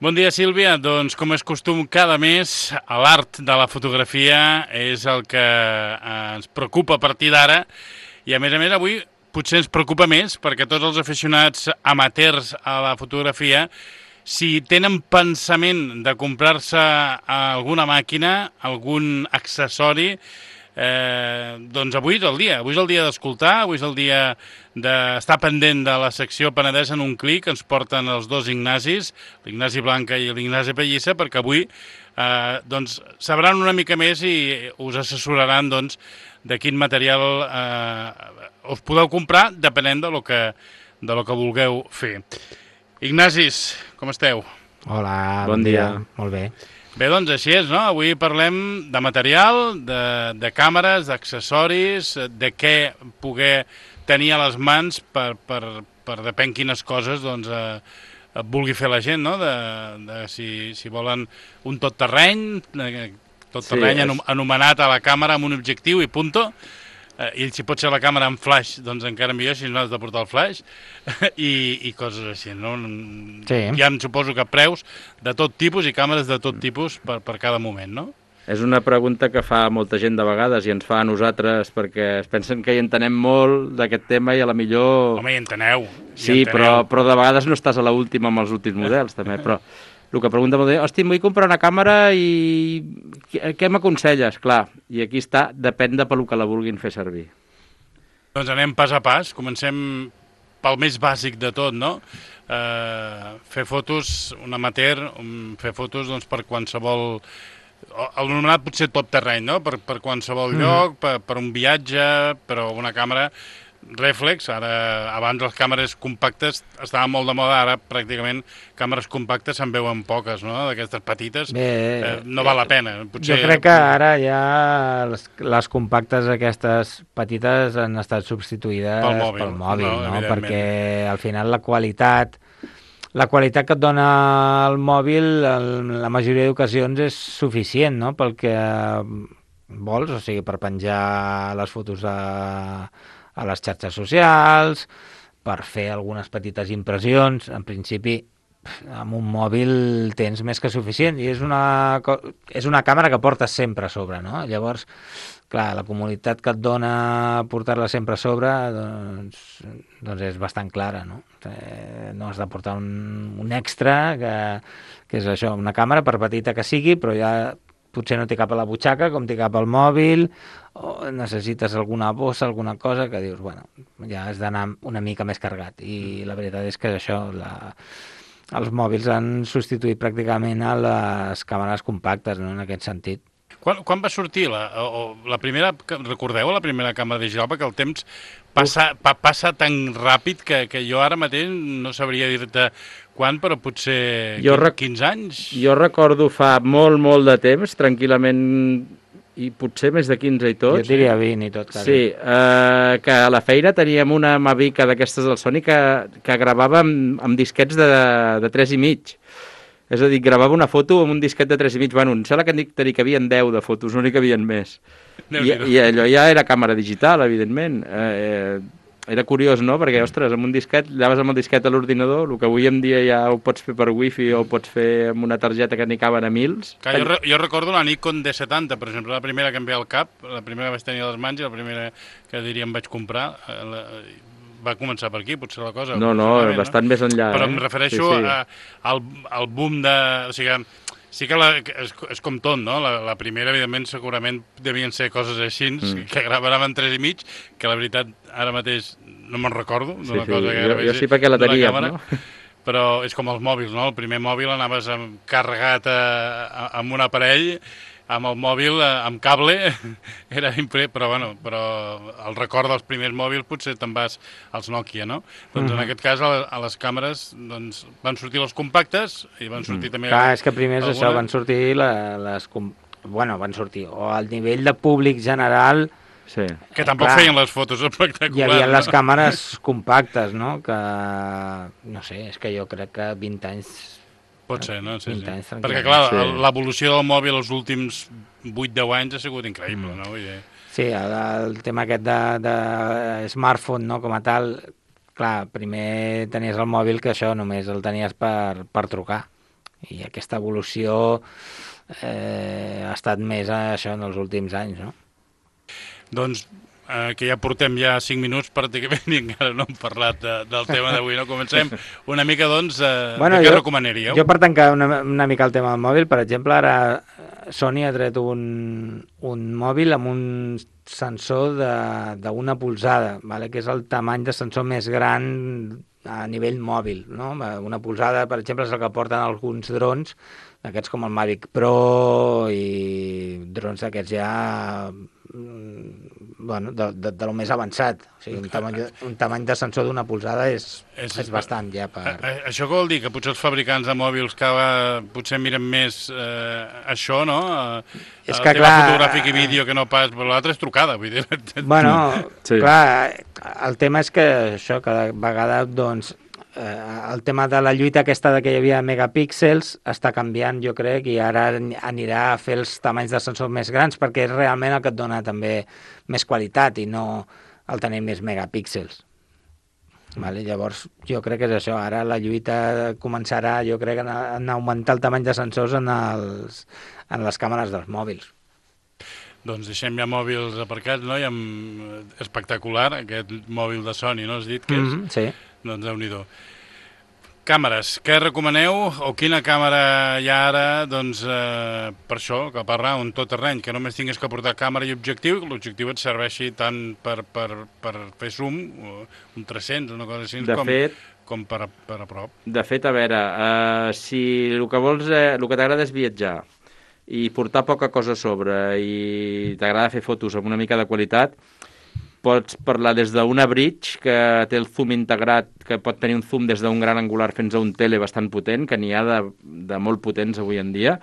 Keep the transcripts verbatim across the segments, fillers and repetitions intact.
Bon dia, Sílvia. Doncs, com és costum, cada mes l'art de la fotografia és el que eh, ens preocupa a partir d'ara i, a més a més, avui potser ens preocupa més perquè tots els aficionats amateurs a la fotografia, si tenen pensament de comprar-se alguna màquina, algun accessori, Eh, doncs avui és el dia, avui és el dia d'escoltar, avui és el dia d'estar pendent de la secció Penedès en un clic, ens porten els dos Ignacis, l'Ignasi Blanca i l'Ignasi Pellissa, perquè avui eh, doncs, sabran una mica més i us assessoraran doncs, de quin material eh, us podeu comprar depenent de lo que, de lo que vulgueu fer. Ignacis, com esteu? Hola, bon, bon dia. dia. Molt bé. Bé, doncs així és, no? Avui parlem de material, de, de càmeres, d'accessoris, de què poder tenir a les mans per, per, per depèn quines coses doncs, eh, vulgui fer la gent, no? De, de si, si volen un tot terreny, tot terreny sí, és... anomenat a la càmera amb un objectiu i punto, eh, i si pot ser la càmera en flash, doncs encara millor, si no has de portar el flash, i, i coses així, no? Sí. Hi ha, suposo que preus de tot tipus i càmeres de tot tipus per, per cada moment, no? És una pregunta que fa molta gent de vegades i ens fa a nosaltres perquè es pensen que hi entenem molt d'aquest tema i a la millor... Home, hi enteneu. Hi sí, enteneu. Però, però de vegades no estàs a l'última amb els últims models, també, però... El que pregunta molt bé, hosti, vull comprar una càmera i què m'aconselles? Clar, i aquí està, depèn de pel que la vulguin fer servir. Doncs anem pas a pas, comencem pel més bàsic de tot, no? Uh, fer fotos, un amateur, um, fer fotos doncs, per qualsevol... El nomenat potser tot terreny, no? Per, per qualsevol mm. lloc, per, per un viatge, però una càmera... Reflex, ara abans les càmeres compactes estaven molt de moda, ara pràcticament càmeres compactes se'n veuen poques, no? D'aquestes petites, Bé, eh, no val la pena. Potser... Jo crec que ara ja les, les compactes aquestes petites han estat substituïdes pel mòbil, pel mòbil no? no? Perquè al final la qualitat la qualitat que et dona el mòbil en la majoria d'ocasions és suficient, no? Pel que vols, o sigui, per penjar les fotos a a les xarxes socials, per fer algunes petites impressions. En principi, amb un mòbil tens més que suficient i és una, és una càmera que portes sempre a sobre, no? Llavors, clar, la comoditat que et dona portar-la sempre a sobre doncs, doncs és bastant clara, no? No has de portar un, un extra, que, que és això, una càmera, per petita que sigui, però ja potser no té cap a la butxaca, com té cap al mòbil, o necessites alguna bossa, alguna cosa, que dius, bueno, ja has d'anar una mica més carregat. I la veritat és que això, la, els mòbils han substituït pràcticament a les càmeres compactes, no?, en aquest sentit. Quan, quan va sortir la, o, la primera, recordeu la primera càmera digital? Perquè el temps passa, pa, passa tan ràpid que, que jo ara mateix no sabria dir-te quan, però potser quinze anys? Jo recordo fa molt, molt de temps, tranquil·lament, i potser més de quinze i tot. Jo diria vint i tot. Quasi. Sí, eh, que a la feina teníem una Mavic d'aquestes del Sony que, que gravava amb, amb disquets de, de tres i mig. És a dir, gravava una foto amb un disquet de tres i mig. Bueno, em sembla que n'hi havien deu de fotos, no n'hi havien més. I, I allò ja era càmera digital, evidentment. Eh, era curiós, no? Perquè, ostres, amb un disquet, llaves amb el disquet a l'ordinador, el que avui en dia ja ho pots fer per wifi o ho pots fer amb una targeta que n'hi caben a mils. Que jo, re, jo recordo la Nikon D setanta, per exemple, la primera que em ve al cap, la primera que vaig tenir a les mans i la primera que diríem vaig comprar, la, va començar per aquí, potser la cosa. No, no, bastant no? més enllà. Però eh? em refereixo sí, sí. A, al, al boom de... O sigui, sí que la, és, és com tot, no? La, la primera, evidentment, segurament devien ser coses així, mm. que gravaven tres i mig, que la veritat, ara mateix no me'n recordo. Sí, sí. Cosa que jo, jo sí perquè la teníem, càmera, no? Però és com els mòbils, no? El primer mòbil anaves amb, carregat a, a, amb un aparell, amb el mòbil, amb cable, era impre... però, bueno, però el record dels primers mòbils potser te'n vas als Nokia, no? Doncs mm. en aquest cas a, a les càmeres doncs, van sortir les compactes i van sortir mm. també... Clar, és que primer és això, van sortir la, les... Bueno, van sortir, o al nivell de públic general... Sí. Que tampoc clar, feien les fotos espectaculars. Hi havia no? les càmeres compactes, no? Que, no sé, és que jo crec que vint anys... Pot ser, no? Sí, sí. Anys, perquè, clar, sí. l'evolució del mòbil els últims vuit deu anys ha sigut increïble, mm. no? Vull dir... Sí, el, el tema aquest de, de smartphone, no?, com a tal, clar, primer tenies el mòbil que això només el tenies per, per trucar. I aquesta evolució eh, ha estat més això en els últims anys, no? Doncs eh, que ja portem ja cinc minuts pràcticament i encara no hem parlat de, del tema d'avui, no? Comencem una mica, doncs, eh, bueno, de què jo, recomanaríeu? Jo per tancar una, una mica el tema del mòbil, per exemple, ara Sony ha tret un, un mòbil amb un sensor d'una polzada, vale? Que és el tamany de sensor més gran a nivell mòbil, no? Una polzada, per exemple, és el que porten alguns drons, aquests com el Mavic Pro i drons d'aquests ja bueno, de, de, de lo més avançat. O sigui, un tamany, un tamany de sensor d'una polzada és, és, és bastant ja per... A, a, això què vol dir? Que potser els fabricants de mòbils cada potser miren més eh, això, no? És el que, tema clar... fotogràfic i vídeo que no pas... Però l'altre és trucada, vull dir... Bueno, sí. Clar, el tema és que això cada vegada, doncs, el tema de la lluita aquesta de que hi havia megapíxels està canviant, jo crec, i ara anirà a fer els tamanys de sensor més grans perquè és realment el que et dona també més qualitat i no el tenir més megapíxels. Vale? Llavors, jo crec que és això. Ara la lluita començarà, jo crec, en augmentar el tamany de sensors en, els, en les càmeres dels mòbils. Doncs deixem ja mòbils aparcats, no? I amb... espectacular, aquest mòbil de Sony, no? Has dit que és? Mm-hmm, sí. Doncs Déu-n'hi-do. Càmeres, què recomaneu o quina càmera hi ha ara, doncs, eh, per això, que parlar un tot terreny, que només tinguis que portar càmera i objectiu, i que l'objectiu et serveixi tant per, per, per fer zoom, un tres-cents, una cosa així, de com, fet, com per, a, per a prop. De fet, a veure, eh, si el que vols, eh, el que t'agrada és viatjar i portar poca cosa a sobre i t'agrada fer fotos amb una mica de qualitat, pots parlar des d'una bridge que té el zoom integrat, que pot tenir un zoom des d'un gran angular fins a un tele bastant potent, que n'hi ha de, de molt potents avui en dia.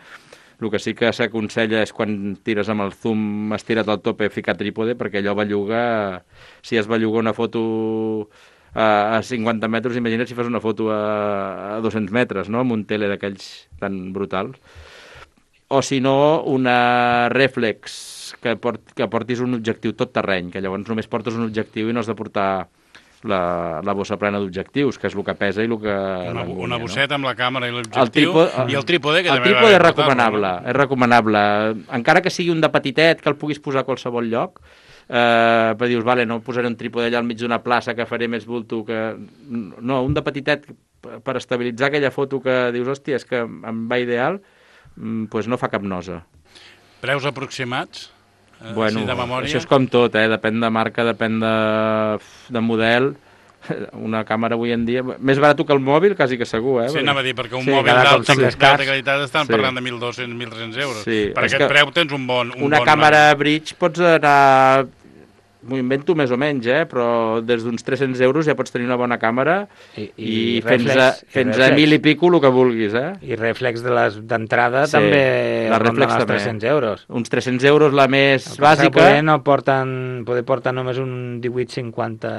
El que sí que s'aconsella és quan tires amb el zoom estirat al tope ficar trípode, perquè allò belluga, si es belluga una foto a, a cinquanta metres, imagina't si fas una foto a, a dos-cents metres, no?, amb un tele d'aquells tan brutals. O si no, una reflex, que, port, que portis un objectiu tot terreny, que llavors només portes un objectiu i no has de portar la, la bossa plena d'objectius, que és el que pesa i el que... Una, una bosseta, no?, amb la càmera i l'objectiu, el trípode, i el trípode, que el també trípode va és recomanable, no? és recomanable. Encara que sigui un de petitet, que el puguis posar a qualsevol lloc, eh, per dius, vale, no posaré un trípode allà al mig d'una plaça que faré més bulto que... No, un de petitet per estabilitzar aquella foto que dius, hòstia, és que em va ideal, pues no fa cap nosa. Preus aproximats? Eh, bueno, de memòria? Això és com tot, eh? Depèn de marca, depèn de, de model. Una càmera avui en dia... Més barat que el mòbil, quasi que segur, eh? Sí, anava a dir, perquè un sí, mòbil d'alta qualitat estan sí. parlant de mil dos-cents a mil tres-cents euros. Sí, per aquest preu tens un bon... Un una bon càmera marc. bridge pots anar... M'ho invento més o menys, eh? Però des d'uns tres-cents euros ja pots tenir una bona càmera i, i, i fins, a, fins a mil i pico el que vulguis, eh? I reflex de les d'entrada sí, també la reflex els tres-cents euros. Uns tres-cents euros la més el bàsica. Poder no porten, poder portar només un divuit cinquanta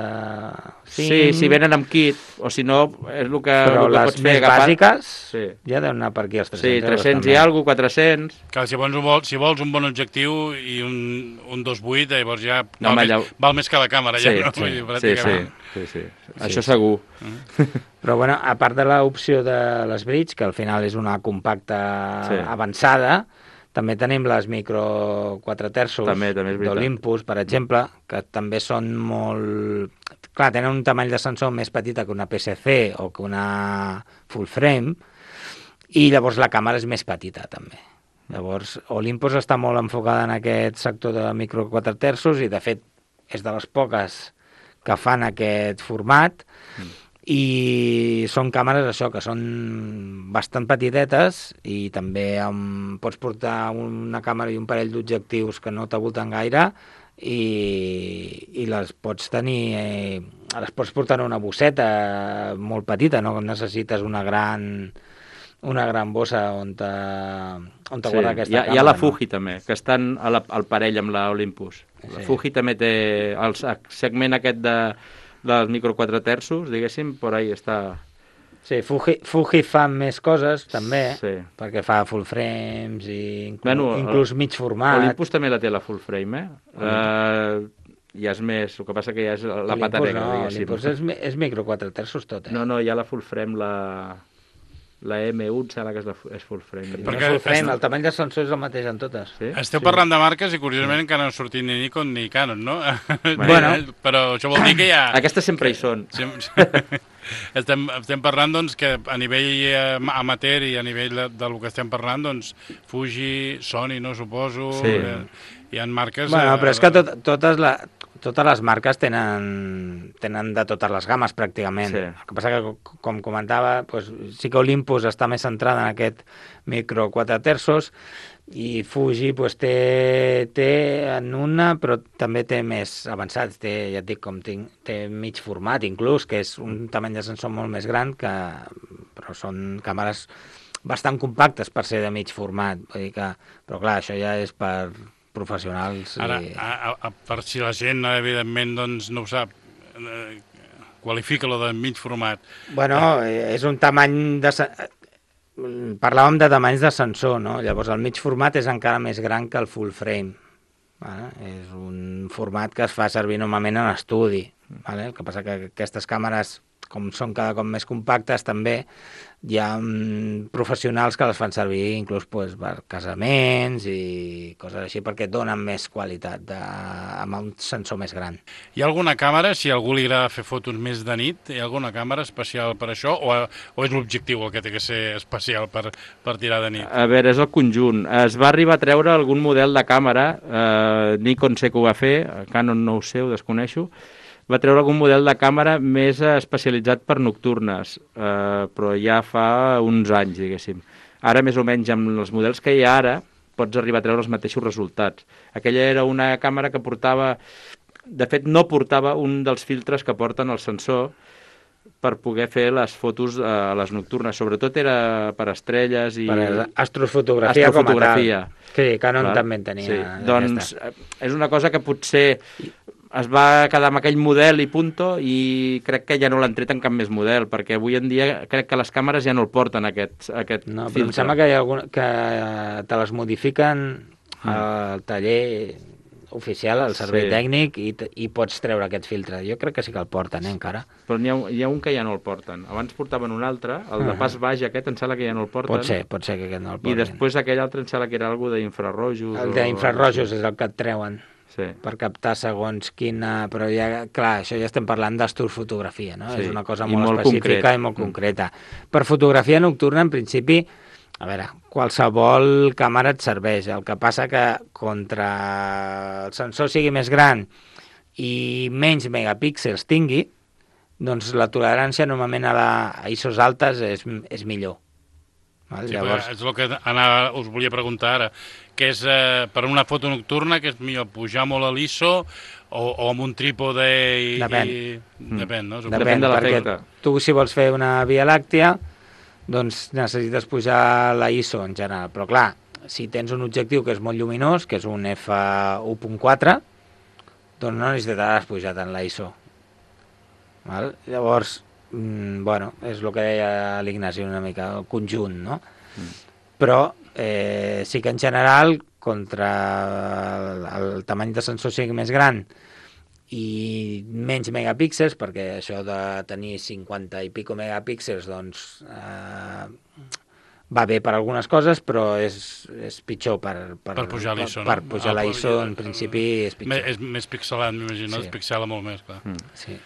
cinc. Sí, si venen amb kit, o si no, és el que, però el que les pots fer més agafar. bàsiques sí. ja deuen anar per aquí els tres-cents sí, euros. tres-cents també. i alguna cosa, quatre-cents. Clar, si vols, si vols un bon objectiu i un, un dos coma vuit, llavors ja no, val, ja... més, val més que la càmera, sí, ja, no? Sí, Vull dir, sí, sí, sí, sí. sí. Això segur. Uh-huh. Però, bueno, a part de l'opció de les bridge, que al final és una compacta sí. avançada, també tenim les micro quatre terços d'Olympus, per exemple, que també són molt... Clar, tenen un tamany de sensor més petita que una P S C o que una full frame, i llavors la càmera és més petita, també. Llavors, Olympus està molt enfocada en aquest sector de micro quatre terços i, de fet, és de les poques que fan aquest format mm. i són càmeres, això, que són bastant petitetes i també um, pots portar una càmera i un parell d'objectius que no t'avolten gaire i, i les pots tenir, eh, les pots portar en una bosseta molt petita, no necessites una gran... una gran bossa on te, on te sí, guarda aquesta hi ha, càmera. Hi ha la no? Fuji també, que estan a la, al parell amb l'Olympus. Sí. La Fuji també té el segment aquest de, dels micro quatre terços, diguéssim, per ahí està... Sí, Fuji, Fuji fa més coses també, sí. perquè fa full frames i inclús, bueno, inclús mig format. Olympus també la té la full frame, eh? Uh, ja és més, el que passa que ja és la Olympus, pata negra, no, diguéssim. Olympus és, és micro quatre terços tot, eh? No, no, hi ha la full frame, la... La M u em sembla que és, la, és full frame. Perquè full frame, el tamany de sensor és el mateix en totes. Sí? Esteu sí. parlant de marques i curiosament sí. encara no han sortit ni Nikon ni Canon, no? Bueno. Però això vol dir que ja... Aquestes sempre hi són. estem, estem parlant doncs, que a nivell amateur i a nivell de, del que estem parlant, doncs, Fuji, Sony, no suposo... Sí. Eh, hi ha marques... Bueno, eh, però és que tot, totes la... Totes les marques tenen, tenen de totes les games, pràcticament. Sí. El que passa que, com comentava, doncs, sí que Olympus està més centrada en aquest micro quatre terços i Fuji doncs, té, té en una, però també té més avançats. Té, ja et dic, com tinc, té mig format, inclús, que és un tamany de sensor molt més gran, que, però són càmeres bastant compactes per ser de mig format. Vull dir que, però clar, això ja és per... professionals. Ara, i... a, a, per si la gent, evidentment, doncs, no ho sap, eh, qualifica-lo de mig format. Bueno, eh. és un tamany de... Parlàvem de tamanys de sensor, no? Llavors, el mig format és encara més gran que el full frame. Vale? És un format que es fa servir normalment en estudi. Vale? El que passa que aquestes càmeres, com són cada cop més compactes, també hi ha mm, professionals que les fan servir inclús pues, per casaments i coses així, perquè donen més qualitat de, amb un sensor més gran. Hi ha alguna càmera, si a algú li agrada fer fotos més de nit, hi ha alguna càmera especial per això, o, o és l'objectiu el que té que ser especial per, per tirar de nit? A veure, és el conjunt. Es va arribar a treure algun model de càmera, eh, Nikon sé que ho va fer, Canon no ho sé, ho desconeixo, va treure algun model de càmera més especialitzat per nocturnes, eh, però ja fa uns anys, diguéssim. Ara, més o menys, amb els models que hi ha ara, pots arribar a treure els mateixos resultats. Aquella era una càmera que portava... De fet, no portava un dels filtres que porten el sensor per poder fer les fotos a les nocturnes. Sobretot era per estrelles i... Per astrofotografia, astrofotografia. Com a tal. Sí, Canon Clar? també en tenia. Sí. Doncs és una cosa que potser... es va quedar amb aquell model i punto, i crec que ja no l'han tret en cap més model, perquè avui en dia crec que les càmeres ja no el porten, aquest, aquest no, filtre. Però em sembla que, hi ha algun, que te les modifiquen mm. al taller oficial, al servei sí. tècnic, i, i pots treure aquest filtre. Jo crec que sí que el porten, eh, encara. Però n'hi ha, hi ha un que ja no el porten. Abans portaven un altre, el de pas baix aquest, em sembla que ja no el porten. Pot ser, pot ser que aquest no el porten. I després aquell altre em sembla que era algo d'infrarrojos. El d'infrarrojos o... és el que et treuen. Sí. Per captar segons quina... Però ja, clar, això ja estem parlant d'astrofotografia, no? Sí. És una cosa molt, molt específica concret. i molt mm. concreta. Per fotografia nocturna, en principi, a veure, qualsevol càmera et serveix. El que passa que contra el sensor sigui més gran i menys megapíxels tingui, doncs la tolerància normalment a, la, a I S Os altes és, és millor. Val? Sí, Llavors... és el que anava, us volia preguntar ara, que és eh, per una foto nocturna que és millor pujar molt a l'I S O o, o amb un trípode i... Depèn. I... Mm. Depèn, no? Depèn, Depèn de l'efecte. Tu, si vols fer una Via Làctea, doncs necessites pujar la I S O en general. Però clar, si tens un objectiu que és molt lluminós, que és un F u punt quatre, doncs no necessitaràs pujar tant la I S O. Val? Llavors... Mm, bueno, és el que deia l'Ignasi una mica, el conjunt, no? Mm. Però eh, sí que en general, contra el, el tamany de sensor sigui més gran i menys megapíxels, perquè això de tenir cinquanta i pico megapíxels, doncs eh, va bé per algunes coses, però és, és pitjor per, per, per pujar l'I S O. Per, per pujar ah, la I S O, en principi, és pitjor. És més pixelat, m'imagino, sí. Es pixela molt més, clar. Mm. Sí.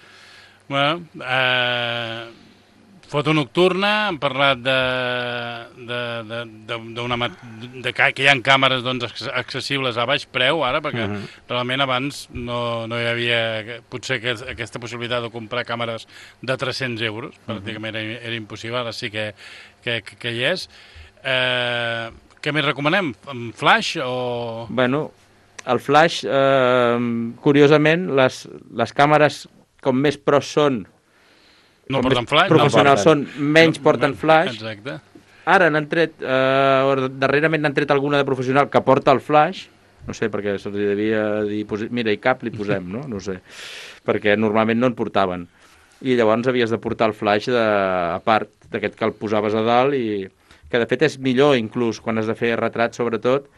Bueno, eh, foto nocturna, hem parlat de, de, de, de, de, de que hi ha càmeres doncs, accessibles a baix preu ara, perquè uh-huh. realment abans no, no hi havia potser que, aquesta possibilitat de comprar càmeres de tres-cents euros, uh-huh. pràcticament era, era impossible, ara sí que, que, que hi és. Eh, què més recomanem? Flash o...? Bueno, el flash, eh, curiosament, les, les càmeres com més pros són, no porten flash, professionals no són, menys no, porten flash. Exacte. Ara n'han tret, eh, darrerament n'han tret alguna de professional que porta el flash, no sé, perquè se'ls devia dir, mira, i cap li posem, no? No sé, perquè normalment no en portaven. I llavors havies de portar el flash de, a part d'aquest que el posaves a dalt, i que de fet és millor inclús quan has de fer retrat, sobretot,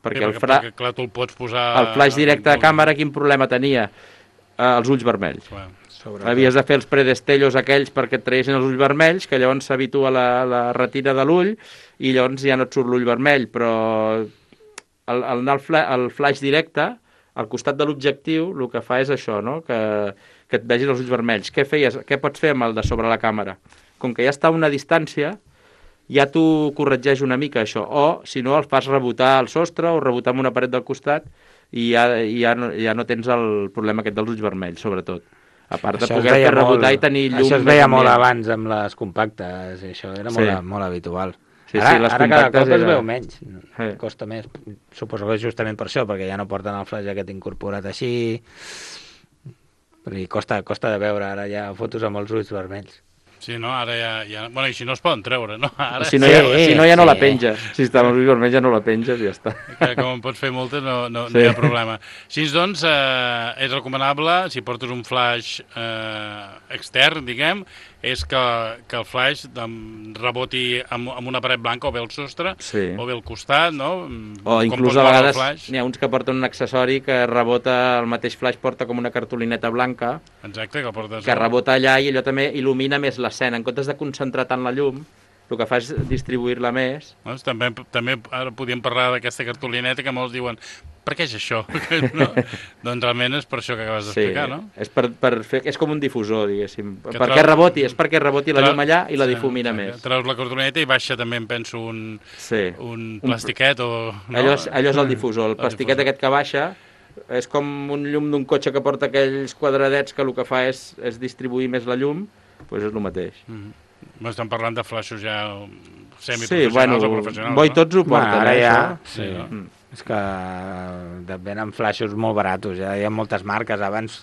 perquè, sí, perquè el, fra... perquè clar, tu el pots posar... el flash directe de càmera, quin problema tenia? Uh, els ulls vermells. Bueno, Sobretot. Havies de fer els predestellos aquells perquè et traguessin els ulls vermells, que llavors s'habitua la, la retina de l'ull i llavors ja no et surt l'ull vermell, però el, el, el, fla, el flash directe, al costat de l'objectiu, el que fa és això, no? que, que et vegis els ulls vermells. Què feies? Què pots fer amb el de sobre la càmera? Com que ja està a una distància, ja t'ho corregeix una mica, això. O, si no, el fas rebotar al sostre o rebotar amb una paret del costat i ja, ja, no, ja no tens el problema aquest dels ulls vermells, sobretot. A part de això poder fer rebotar i tenir llum... Això es veia molt abans amb les compactes, i això era sí. molt, molt habitual. Sí, ara sí, les ara cada cop era... es veu menys, sí. costa més. Suposo que és justament per això, perquè ja no porten el flash aquest incorporat així, i costa, costa de veure ara ja fotos amb els ulls vermells. Sí, no? Ara ja... ja... Bueno, i si no es poden treure, no? Ara... Si no, ja, sí, si no ja no sí. la penges. Si està amb els ulls vermells ja no la penges i ja està. Que com en pots fer moltes no, no, sí. no hi ha problema. Així doncs, eh, és recomanable, si portes un flash eh, extern, diguem, és que, que el flash reboti amb, amb una paret blanca o bé al sostre sí. o bé al costat, no? O inclús a vegades n'hi ha uns que porten un accessori que rebota, el mateix flash porta com una cartolineta blanca. Exacte, que portes... Que rebota allà i allò també il·lumina més l'escena. En comptes de concentrar tant la llum, el que fa és distribuir-la més. Doncs també, també ara podíem parlar d'aquesta cartolineta que molts diuen per què és això? No? Doncs realment és per això que acabes d'explicar, sí, no? És, per, per fer, és com un difusor, diguéssim. Que per què reboti? És perquè reboti la llum allà i la sí, difumina sí, més. Treus la cartolineta i baixa també, em penso, un, sí. un plastiquet o... No? Allò, és, allò és el difusor. El, el plastiquet difusor. Aquest que baixa és com un llum d'un cotxe que porta aquells quadradets que el que fa és, és distribuir més la llum, doncs és el mateix. Mm-hmm. Estem parlant de flaixos ja semiprofessionals sí, bueno, o professionals, Boi no? Tots ho porten, bueno, ara eh, ja, sí. sí. Mm. És que venen flaixos molt baratos, ja hi ha moltes marques. Abans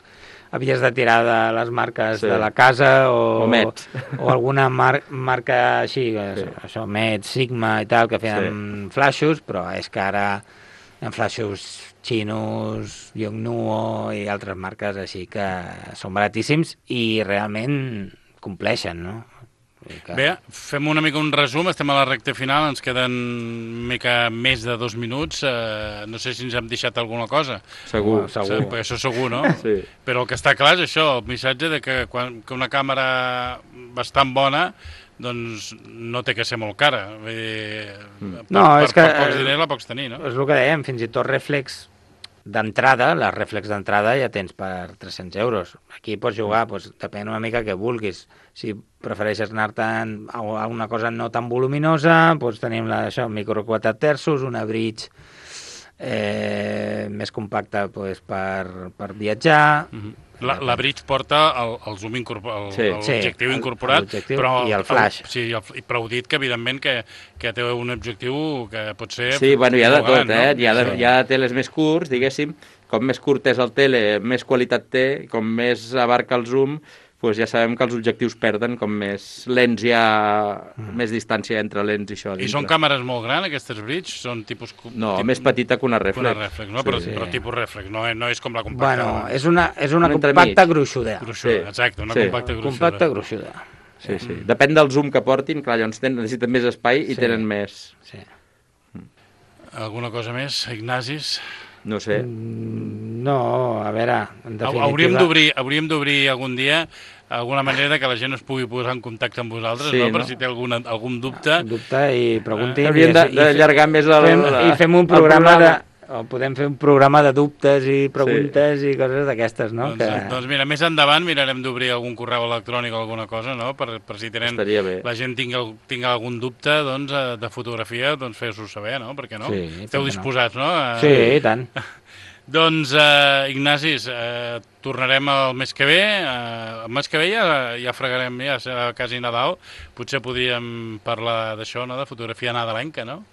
havies de tirar de les marques sí. de la casa o, o, o alguna mar marca així, sí. això, Met, Sigma i tal, que feien sí. flaixos, però és que ara hi ha flaixos xinos, Yongnuo i altres marques així que són baratíssims i realment compleixen, no? Que... Bé, fem una mica un resum, estem a la recta final, ens queden una mica més de dos minuts, eh, no sé si ens hem deixat alguna cosa. Segur, oh, segur. Sí, això segur, no? Sí. Però el que està clar és això, el missatge de que, quan, que una càmera bastant bona doncs no té que ser molt cara. Eh, per, no, per, és que, per pocs diners la pots tenir, no? És el que dèiem, fins i tot reflex d'entrada, les reflex d'entrada ja tens per tres-cents euros. Aquí pots jugar, doncs, depèn una mica què vulguis. Si prefereixes anar-te'n a una cosa no tan voluminosa, doncs tenim la, això, micro quatre terços, una bridge eh, més compacta doncs, per, per viatjar... Mm-hmm. La, la bridge porta el, el zoom incorporat, sí, l'objectiu sí, incorporat, però i el flash. El, sí, el, però ho dit que evidentment que, que té un objectiu que pot ser... Sí, bueno, hi ha de tot, eh? Hi ha, de, hi ha teles més curts, diguéssim, com més curt és el tele, més qualitat té, com més abarca el zoom, doncs ja sabem que els objectius perden, com més lents hi ha, mm. més distància entre lents i això. I són càmeres molt grans, aquestes bridge? Són tipus... No, tipus, més petita que una reflex. Una reflex, no? Sí, però, sí. però tipus reflex, no, no és com la compacta. Bueno, és una, és una compacta gruixuda. Gruixuda, sí. Exacte, una sí. compacta gruixuda. Compacta gruixuda. Sí, sí. Depèn del zoom que portin, clar, llavors necessiten més espai i sí. tenen més... Sí. Alguna cosa més, Ignacis? No sé. No, a veure, en definitiva... Hauríem d'obrir algun dia alguna manera que la gent es pugui posar en contacte amb vosaltres, sí, no? Per no? Si té algun, algun dubte. Dubte i preguntin. Hauríem d'allargar més el, fem, la, i fem un programa, programa de... O podem fer un programa de dubtes i preguntes sí. i coses d'aquestes, no? Doncs, que... doncs mira, més endavant mirarem d'obrir algun correu electrònic o alguna cosa, no? Per, per si tenen, la gent tingui, tingui algun dubte doncs, de fotografia, doncs fes-ho saber, no? Perquè no? Sí, esteu disposats, no? no? Sí, i tant. Doncs, eh, Ignacis, eh, tornarem el mes que ve. Eh, el mes que ve ja, ja fregarem, ja serà quasi Nadal. Potser podríem parlar d'això, no?, de fotografia nadalenca, no?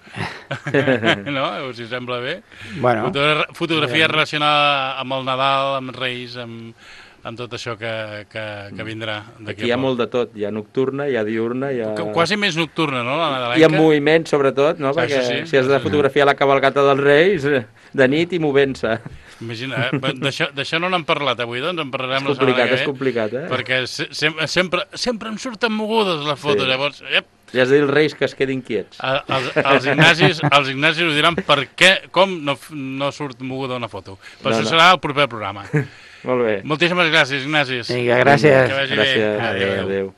No? Si us sembla bé. Bueno, Fotogra fotografia bueno. relacionada amb el Nadal, amb Reis, amb, amb tot això que, que, que vindrà d'aquí. Aquí hi ha molt de tot. Hi ha nocturna, hi ha diurna, hi ha... Quasi més nocturna, no?, la nadalenca. Hi ha moviment, sobretot, no? Perquè sí, sí, si has de fotografiar la cavalcata dels Reis, de nit i movent-se. Imagina, eh? d'això no n'hem parlat avui, doncs en parlarem la setmana que ve. És complicat, eh? Perquè se sempre, sempre em surten mogudes les fotos, sí. Llavors... Ep. Ja has de dir als Reis que es quedin quiets. Els, els, Ignacis, els Ignacis ho diran per què, com no, no surt moguda una foto. Però no, això no. serà el proper programa. Molt bé. Moltíssimes gràcies, Ignasi. Vinga, gràcies. Que vagi gràcies. bé. Adéu. Adéu.